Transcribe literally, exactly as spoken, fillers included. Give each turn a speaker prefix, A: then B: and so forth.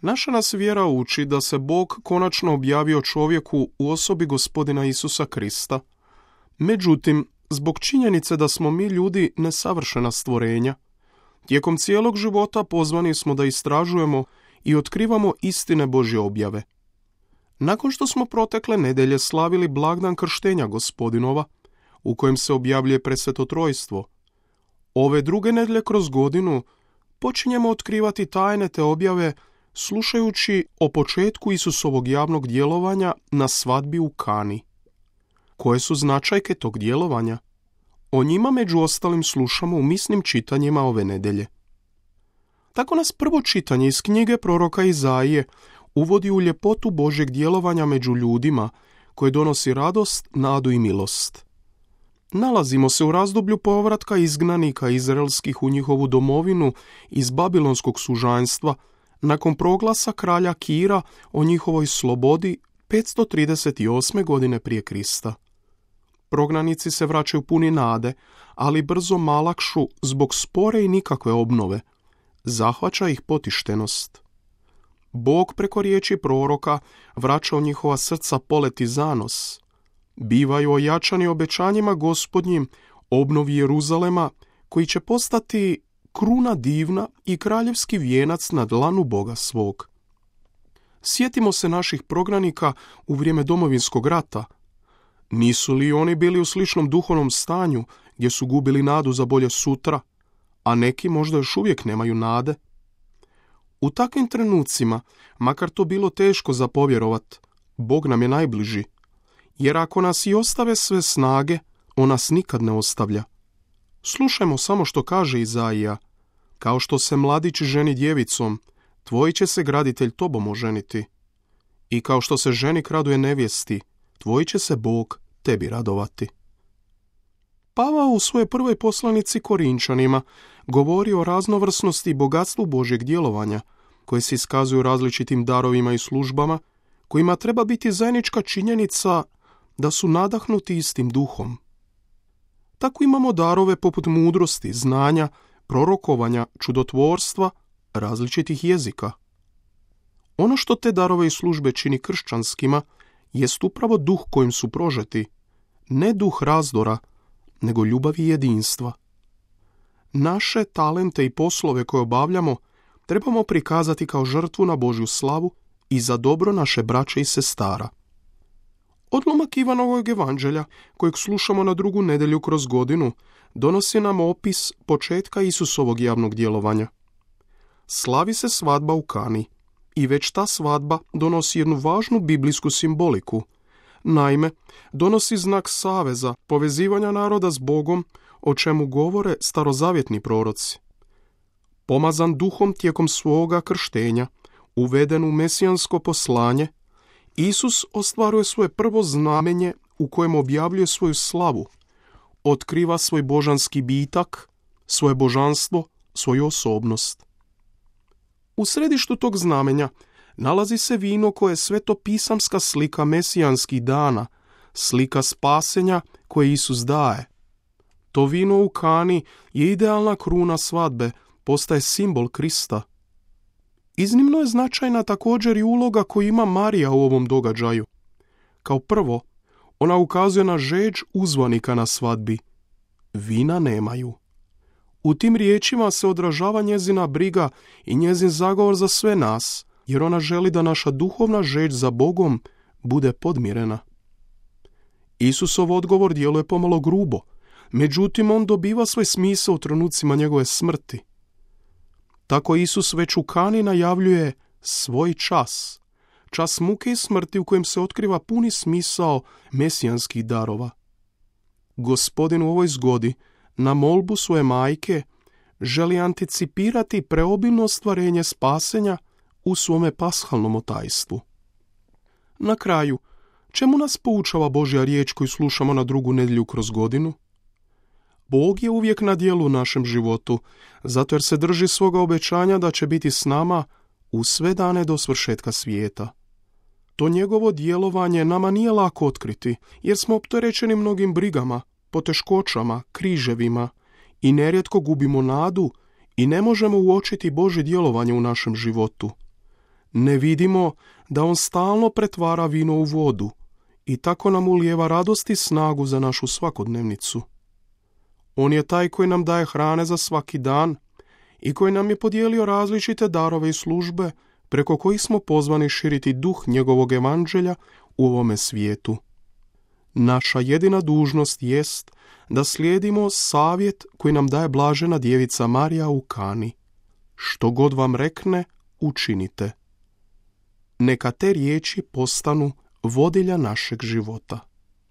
A: Naša nas vjera uči da se Bog konačno objavio čovjeku u osobi Gospodina Isusa Krista. Međutim, zbog činjenice da smo mi ljudi nesavršena stvorenja, tijekom cijelog života pozvani smo da istražujemo i otkrivamo istine Božje objave. Nakon što smo protekle nedelje slavili blagdan krštenja Gospodinova, u kojem se objavljuje presveto trojstvo, ove druge nedelje kroz godinu počinjemo otkrivati tajne te objave slušajući o početku Isusovog javnog djelovanja na svadbi u Kani. Koje su značajke tog djelovanja? O njima među ostalim slušamo u misnim čitanjima ove nedelje. Tako nas prvo čitanje iz knjige proroka Izaije uvodi u ljepotu Božjeg djelovanja među ljudima, koje donosi radost, nadu i milost. Nalazimo se u razdoblju povratka izgnanika izraelskih u njihovu domovinu iz babilonskog sužanjstva, nakon proglasa kralja Kira o njihovoj slobodi petsto trideset osme godine prije Krista. Prognanici se vraćaju puni nade, ali brzo malakšu zbog spore i nikakve obnove. Zahvaća ih potištenost. Bog preko riječi proroka vraća u njihova srca polet i zanos. Bivaju ojačani obećanjima Gospodnjim, obnovi Jeruzalema, koji će postati kruna divna i kraljevski vijenac na dlanu Boga svog. Sjetimo se naših prognanika u vrijeme domovinskog rata. Nisu li oni bili u sličnom duhovnom stanju gdje su gubili nadu za bolje sutra, a neki možda još uvijek nemaju nade? U takvim trenucima, makar to bilo teško za povjerovat, Bog nam je najbliži, jer ako nas i ostave sve snage, on nas nikad ne ostavlja. Slušajmo samo što kaže Izaija: kao što se mladić ženi djevicom, tvoj će se graditelj tobom oženiti. I kao što se ženik raduje nevjesti, tvoj će se Bog tebi radovati. Pavao u svojoj prvoj poslanici Korinčanima govori o raznovrsnosti i bogatstvu Božjeg djelovanja, koje se iskazuju različitim darovima i službama, kojima treba biti zajednička činjenica da su nadahnuti istim duhom. Tako imamo darove poput mudrosti, znanja, prorokovanja, čudotvorstva, različitih jezika. Ono što te darove i službe čini kršćanskima jest upravo duh kojim su prožeti, ne duh razdora, nego ljubavi i jedinstva. Naše talente i poslove koje obavljamo trebamo prikazati kao žrtvu na Božju slavu i za dobro naše braće i sestara. Odlomak Ivanovog evanđelja, kojeg slušamo na drugu nedjelju kroz godinu, donosi nam opis početka Isusovog javnog djelovanja. Slavi se svadba u Kani i već ta svadba donosi jednu važnu biblijsku simboliku. Naime, donosi znak saveza, povezivanja naroda s Bogom, o čemu govore starozavjetni proroci. Pomazan duhom tijekom svoga krštenja, uveden u mesijansko poslanje, Isus ostvaruje svoje prvo znamenje u kojem objavljuje svoju slavu, otkriva svoj božanski bitak, svoje božanstvo, svoju osobnost. U središtu tog znamenja nalazi se vino koje je svetopisamska slika mesijanskih dana, slika spasenja koje Isus daje. To vino u Kani je idealna kruna svadbe, postaje simbol Krista. Iznimno je značajna također i uloga koju ima Marija u ovom događaju. Kao prvo, ona ukazuje na žeđ uzvanika na svadbi. Vina nemaju. U tim riječima se odražava njezina briga i njezin zagovor za sve nas, jer ona želi da naša duhovna žeđ za Bogom bude podmirena. Isusov odgovor djeluje pomalo grubo, međutim on dobiva svoj smisao u trenucima njegove smrti. Tako Isus već u Kani najavljuje svoj čas, čas muke i smrti u kojem se otkriva puni smisao mesijanskih darova. Gospodin u ovoj zgodi, na molbu svoje majke, želi anticipirati preobilno ostvarenje spasenja u svome pashalnom otajstvu. Na kraju, čemu nas poučava Božja riječ koju slušamo na drugu nedjelju kroz godinu? Bog je uvijek na djelu u našem životu, zato jer se drži svoga obećanja da će biti s nama u sve dane do svršetka svijeta. To njegovo djelovanje nama nije lako otkriti, jer smo opterećeni mnogim brigama, poteškoćama, križevima i nerijetko gubimo nadu i ne možemo uočiti Božje djelovanje u našem životu. Ne vidimo da on stalno pretvara vino u vodu i tako nam ulijeva radost i snagu za našu svakodnevnicu. On je taj koji nam daje hrane za svaki dan i koji nam je podijelio različite darove i službe preko kojih smo pozvani širiti duh njegovog evanđelja u ovome svijetu. Naša jedina dužnost jest da slijedimo savjet koji nam daje blažena djevica Marija u Kani. Što god vam rekne, učinite. Neka te riječi postanu vodilja našeg života.